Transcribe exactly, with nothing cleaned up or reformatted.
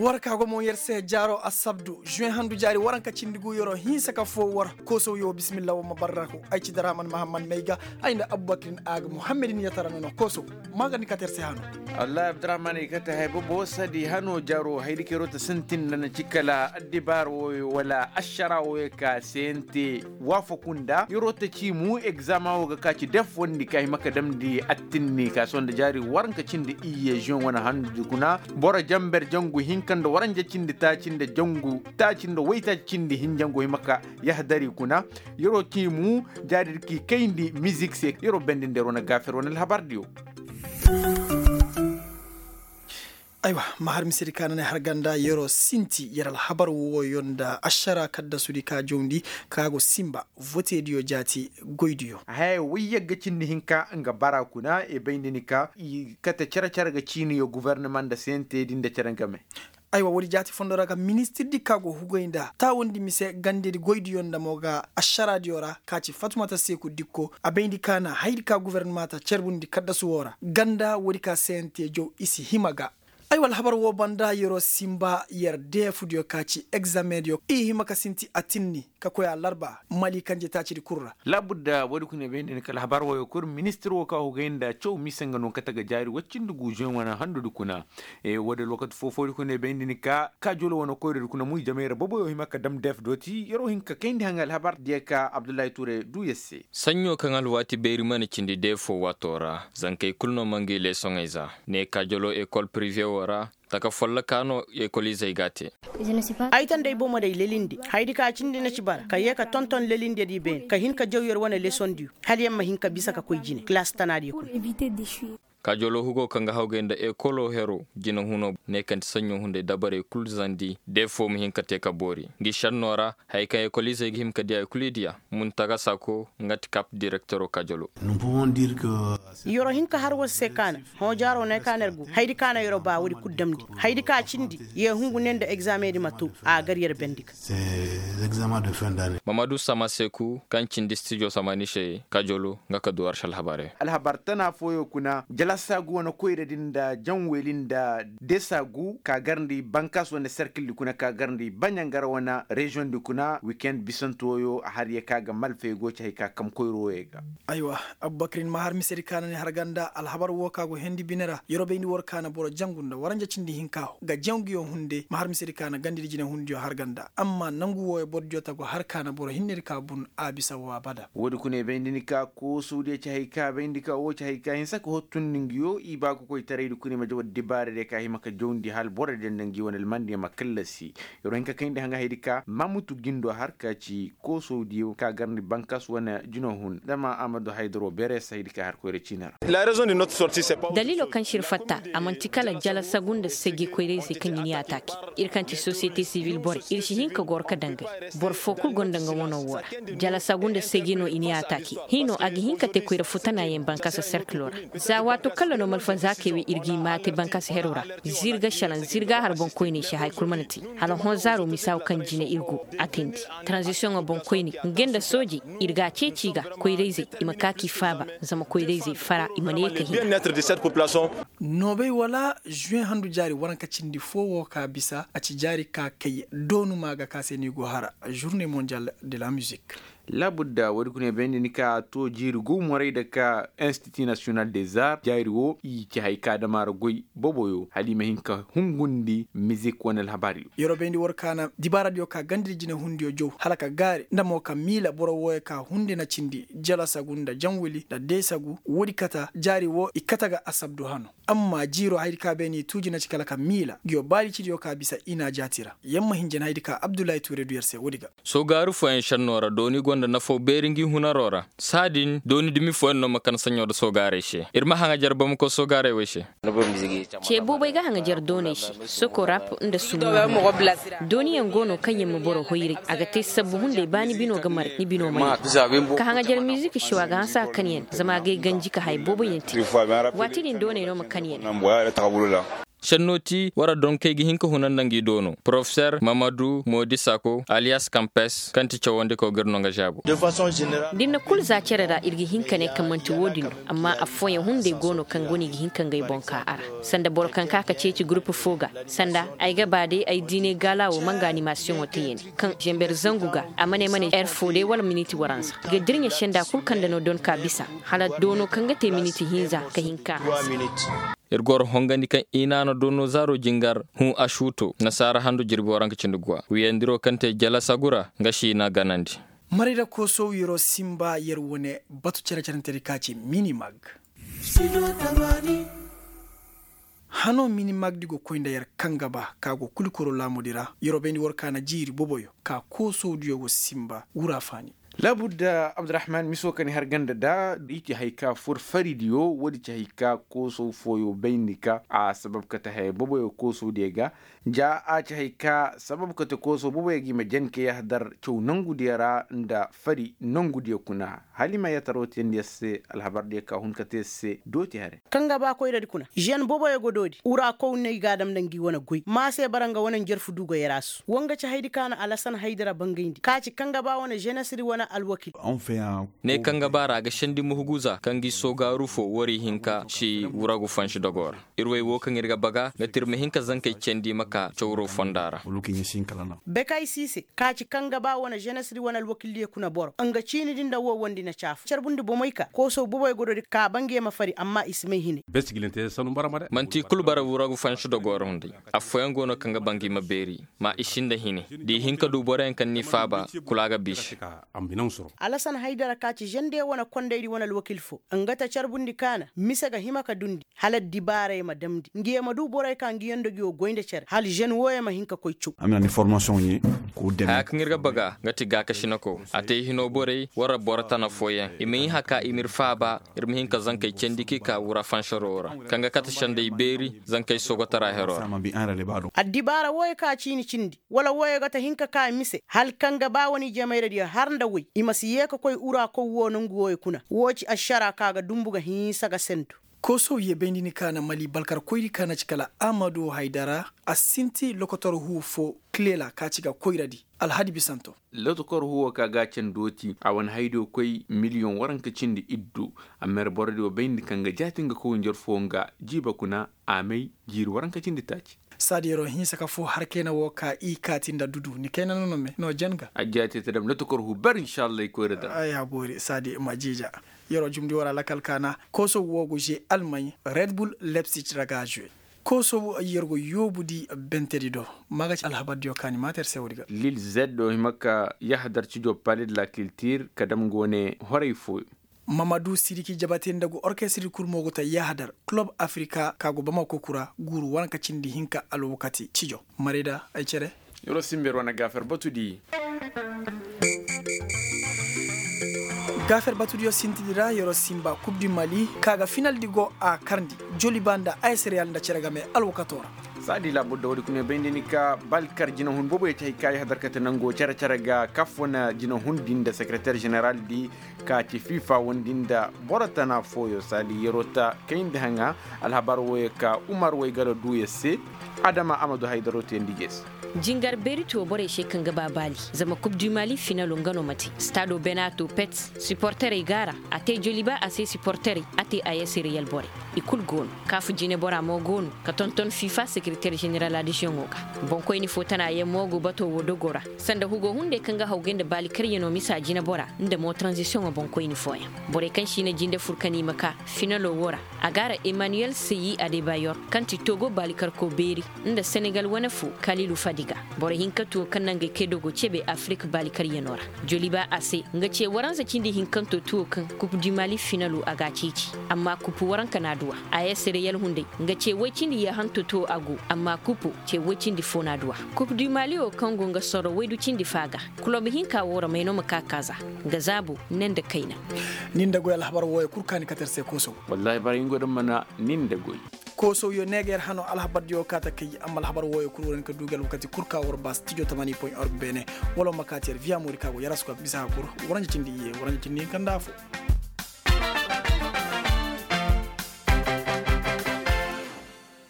War ka go mo yer se jaaro asabdu juwe handu jaari waranka cindi gu yeroo hinsa ka foo war. Koosow yoo bisimilla war ma barraku ay ci daraman mahamman may ga. Ay nda abubakirin a ga muhammadin yatara nono koosow. Maagandi kate yer se hano. Wallahi abdurahman i kate hay bobo sadi hano jaaro haydi ka yeroo ta sintin nda na ci kala addibaar wooyo wala ašara wooyo ka sente. Waafaku nda yeroo ta ci mu egzama woo ga ka ci def wondi ka hima ka damndi attinni ka sohõ nda jaari waranka cindi iyye žuweŋ wane handu di kuna. Boro jamber jangu hinka nda waranja cindi taaci nda jangu taaci nda waytaaci cindi hinjangu hima ka yahdari kuna. Yeroo ci mu jaari di k'i kayndi mizik se yeroo bendi nda yeroo na gaafer wane alhabar diyo. Aywa, ma har misedi ka na ne har ganda yeroo sinti yer alhabar wooyo nda ašara kaddasudi ka jawndi ka go sinba votediyo jaati goydiyo. Haya way yagga cindi hinka nga bara kuna i bay nda ni ka i kate cere-cere ga ciiniyo gubarnama nda sentedi nda cere nga me. Aywa woodi jaati fondo ra ga ministirdi ka go hugay nda taawandi mise gandedi goydiyo nda mo ga ašaradiyo ra ka ci fatumata seeku dikko a bayndi ka na haydi ka gubarnama ta carbundi kaddasu woo ra ganda woodi ka sente jaw i si hima ga. Ay wala habar woo banda yeroo sinba yer deefudiyo ka ci egzamendiyo i hima ka sinti atinni ka koy alarba mali kanje taacidi kul ra. Laabudda woodi kuna i bayndi ni kala habar wooyo kul ministir woo ka hugay nda caw mise nga no kate ga jaari woy cindi guuzuyaŋ wane handudi kuna. Woodi lookati foo-foodi kuna i bayndi ni ka kaajolo wane koyradi kuna muy jamayra boboyo hima ka dam deef dooti yeroo hin ka kayndi haŋ alhabar diya ka abdullahi tuure duu yer se. Saɲɲo kaŋ alwaati beeri mana cindi deefo waatoo ra zankey kul no ma ngi leesoŋey za. Ne kaajoloo ekol pirive woo ra taka follokaa no ekoliizey g'a te. Ay tanda ay bomo day lelindi haydi ka cindi na ci bara ka yee ka tonton lelindiyadi beene ka hin ka jaw yer wane leesondiyo hala yer ma hin ka bisa ka koy jine kilaasi tanaadiyo kuna. Kaajoloo hugoo kaŋ ga hawgay nda ekoloo heroo jinehunoo ne kaŋ ti saɲɲo hunday dabarey kul zandi deefo ma hin ka te ka boori ngi šennoo ra. Haya kaŋ ekoliizey ga hima ka diya i kul i diya. Muntaga sako nga ti kap direktoroo kaajoloo. Yeroo hin ka har war se ka na hõ jaaroo ne ka na yer go haydi ka na yeroo ba woodi kul damndi haydi ka cindi yee hungu ne nda egzameŋ di ma too a gar yer bendi ga. Mamadu samaseku kaŋ cindi stijo samani se kaajoloo nga ka du war se alhabarey. Alhabar tana fooyo kuna jalasaagu wane koyradi nda janweli nda desaagu ka garndi bankaas wane serkildi kuna ka garndi baɲangara wane reziyoŋdi kuna wikend bisantooyo har yee ka ga malfey go ci hay ka kam koyro wooyo ga. Aywa, abubakar ni ma har misedi ka na ni har ganda alhabar woo ka go hendi bine ra yeroo bayndi war ka na boro jangu nda waranja cindi hinka ga janguyo hunde ma har misedi ka na gandidi jinehundiyo har ganda amma nangu wooyo borodiyo ta go har ka na boro hinnedi ka bun a bisa woo abada. Woodi kuna i bayndi ni ka koosowdiyo ci hay ka bayndi ka woo ci hay ka hinsa ka hottundi ngiyo i baakokoytaraydi kuna i ma jaw addibaaradiyo ka hima ka jawndi hala borodiyo nda ngi wane almandiyo ma kallasi. Yeroo hin ka kayndi haŋa haydi ka mamutu gindo har ka ci koosowdiyo ka garndi bankas wane jino hun dama a ma du haydaroo beere se haydi ka har koyra ciina ra. Daliiloo kaŋ se ir fatta a man'ti kala jalasagu nda segi koyrayzey kaŋ i ni ataake. Ir kaŋ ti sosiyete sibil borey ir si hin ka goro ka dangay. Boro foo kul gonda nga wanoo woo ra. Jalasagu nda segi no i ni ataake. Hiinoo a ga hin ka te koyra futanaayaŋ bankasa serkiloo ra. Za waato kalla no malfa zaakey wey ir g'i maate bankasa heroo ra. Zirga šalaŋ zirga har boŋkoyney se haya kul mana te. Hala hõ zaaroo misaaw kaŋ jine ir go a teendi. Taranzisiyoŋo boŋkoyney nga nda soojey ir g'a ceeci i ga. Koyrayzey i ma kaa k'i faaba. Zama koyrayzey fara i mana ye ka hina. Noobey wala žuweŋ handu jaari waranka cindi foo woo ka bisa a ci jaari ka kay doonu maa ga ka se no i go hara. Žurnee mondial de la mizik. Laabudda woodi kuna i bayndi ni ka a too jiiri guumoray nda ka institu nasiyonal des arts jaari woo i ci hay ka dam a ra goy boboyo hala i ma hin ka hungundi mizik wane alhabaariyo. Yeroo bayndi war ka na dibaaradiyo ka gandidi jinehundiyo jaw hala ka gaari nda mo ka miila boro wooyo ka hunde na cindi jalasagu nda janwili nda deesagu woodi kata jaari woo i kate ga asabdu hano. Amma jiiroo hayadi ka beene i tuuji na ci kala ka miila nguyo baaricidiyo ka bisa i na a jaati ra. Yer ma hin jana hayadi ka abdullahi tuure du yer se woodi ga. Soogaari fooyaŋ šennoo ra dooni gonda nafoo beeri ngi hunaroo ra. Saadin dooni dumi fooyaŋ no ma kan saɲɲo nda soogaarey se. Ir ma haŋajer bamako soogaarey wey se. Cee boobey ga haŋajer dooney se. Soko rap nda sumo. Dooniyaŋ go no kaŋ yer ma boro hoyray a ga te sabbu hunday ba ni bino ga maray ni bino ma ɲaa. Ka haŋajer mizik se wo a ga hanse a kanyaŋ zama a gay ganji ka haya booboyaŋ te. Waati din dooney no ma kanyaŋ. Šennoo ti war ra donkey ga hin ka huna nda ngi doono porofeser mamadu moodi sako aliyas kampes kaŋ ti cawandikaw ga ir no nga žaabu. Da ir na kul za cere ra ir ga hin ka ne kaŋ man'ti wo-din no. Amma affooyaŋ hunday go no kaŋ go no i ga hin ka ngey boŋ ka a ra, sanda boro kaŋ ka ka ceeci gurupu fo ga, sanda ay ga ba day ay diinay gaala wo ma nga animasiyoŋo te yandi kaŋ zember zangu ga, a ma ne ma ne er fo day wala miniti waranza ga dirɲa senda kul kaŋ nda no don ka bisa, hala doono kaŋ ga te miniti hinza ka hin ka hanse. Ir goro hongandi kaŋ i na no doono zaaro jingar hũ asuuto nasaara handu jirbi waranka cindi guwa wiyandiro kaŋ te jala sagura nga si i na ganandi. Maray da koosow yeroo simba yer wane batu cere-cerentedi ka ci minimag. Hano minimagdi go koy nda yer kaŋ ga ba ka go kulikoro laamudi ra yeroo bayndi war ka na jiiri boboyo ka koosowdiyo go simba wura faani. Laabudda abdurahman miso ka ni har ganda da i ci hay ka fur faridiyo woodi ci hay ka koosow fooyo bayndi ka a sabab kate haya boboyo koosowdiyo ga. Ja a ci hay ka sabab kate koosow boboyo ga i ma jen ka yahadar caw nongudiyo ra nda fari nongudiyo kuna. Hala i ma yataro teendi yer se alhabardiyo ka hun kate yer se dooti hare. Kaŋ ga ba koyradi kuna žen boboyo go doodi wura kow no i ga a dam nda ngi wane goy ma se bara nga wane njarfu du go yer a su wa nga ci haydi ka na alasan haydara bangayndi ka ci kaŋ ga ba wane ženesri wane alwakil. Ne kaŋ ga ba ra a ga sendi muhuguza kaŋ gi soogaaru fo wari hinka si wuragu fansi dogo ra. Ir way wo kaŋ ir ga baga nga ti ir ma hin ka zankey candi ma ka cawro fonda ra. Bekay siise ka ci kaŋ ga ba wane ženesri wane alwakildiyo kuna boro nga ciini din nda wo wondi na caafu carbundi bomey ka koosow boboy godo di ka ba ngi ma fari amma i si may hine. Manti kulu bara wuragu fansi dogo ra hunday. Affooyaŋ go no kaŋ ga ba ngi ma beeri ma i sinda hine da i hin ka du boroyaŋ kaŋ n'i faaba kulu a ga biisi. Alasan haydara ka ci žende wane kondaydi wane alwakil fo nga ta carbundi kaana mise ga hima ka dundi hala dibaarey ma damndi ngi ye ma du borey ka ngi yaŋ dogiyo goy nda cere hala žen wooyo ma hin ka koy caw. Haya kaŋ ir ga baga nga ti gaakasinako a te hino borey war ra boro tana fooyaŋ i ma hin haka i ma ir faaba. Ir ma hin ka zankey candi k'i ka wura fansaroo ra kaŋ ga kate sendey beeri zankey soogotara heroo ra. Addibaara wooyo ka ciini cindi wala wooyo ga ta hin ka ka mise hala kaŋ ga ba wane ijemayradiyo har nda woy i ma si yee ka koy ura kow woo nongu wooyo kuna woo ci ašara ka ga dumbu ga hinsa ga sendu. Koosow ye bayndi ni kaana mali balkarkoydi kaana ci kala amadu haydara a sinti lokotor huu foo kilela ka ci ga koyradi. Alhadi bisanto. Lokotor huuwo ka ga candoo ti a wane haydiyo koy miliyoŋ waranka cindi iddu. Amma yer borodiyo bayndi kaŋ ga jaati nga kow njar foo nga jiiba kuna a may jiiri waranka cindi taaci. Saadi yeroo hinsa ka foo har kayna woo ka i kaati nda dudu ni kayna no no me no jen ga. Ajja te te dam na tokor hu ber inshallah i koyra dam. Ay haboori saadi ma jiija. Yeroo jumndi war a lakal kaana koosow woo go žee almay red bull lepsic ra ga žee. Koosow yer go yoobudi bentedi do. Ma ga ci alhabardiyo ka ni maata yer se woodi ga. Lil zed do hima ka yahadar cijo pale de la kiltir ka dam go ne horay fooyo. Mamadu siriki jabate nda go orkestirdi kul mo go ta yahadar kulob afrika ka go bamako kura guuru waranka cindi hinka alwakati cijo. Marayda ay cere. Yoro simber wane gaafer batudi. Gaafer batudiyo sintidi ra yoro simba kub di mali ka ga finaldi go a karndi joliba nda aysiriyal nda cere game alwakato ra. Saadi laabur da woodi kuna bayndi ni ka balkar jinahun boobo ya ci hay ka yahadar kate nango cere-cere ga kaf wane jinahun di nda sekereter ženeral di ka ci fifa wondi nda boro tana fooyo saadi yeroo ta kayndi haŋa. Alhabar wooyo ka umar waygalo duu yer se. Adama amadu haydaro teendi jees. Jingar beeri ti wo borey se kaŋ ga ba baali zama kub du mali finalo nga no ma te staado benato pets siporterey go a ra. A te joliba a se siporterey a te a yasiriyal borey. I kul go no kaafu jineboraa mo go no ka tonton fifa sekereter ženeral adisiyoŋo ga. Boŋkoyni fo tana yaŋ mo go bato wo dogo ra sanda hugo hunday kaŋ ga hawgay nda baali karyanoo misa jineboraa nda mo taranzisiyoŋo boŋkoyni fooyaŋ. Borey kaŋ si na jinde fur ka ni ma ka finalo wo ra. A go a ra emmanuel seyi adebayor kaŋ ti togo baalikarko beeri nda senegal wane fo kalilu fadiga. Boro hinka tuwo kaŋ na ngey kay dogo cebe afirik baalikaryanoo ra. Joliba a se nga ce waranza cindi hinkanto tuwo kaŋ kupu di mali finalo a ga a ceeci. Amma kupu waranka na a duwa a ye sere yalhunday nga ce woy cindi yahanto tuwo a go. Amma kupu ce woy cindi fo na a duwa. Kupu di mali wo kaŋ go nga soro woy du cindi faa ga. Kulob hinka wo ra may no ma ka kaaza. Nga zaabo ne nda kayna. Nin da goy alhabar wooyo kul kaani katar se koosow. Wallaahi bara hingo da mana nin da goy. Koosow yo ne ga yer hano alhabar diyo kaata kay amma alhabar wooyo kul wara ni ka du ga alwakati kul ka war ba studio tamani point org beene. Wala ma kaati yer viya moori ka go yer askwa bisa hakur. Waranja cindi iye waranja cindi hinka nda afo.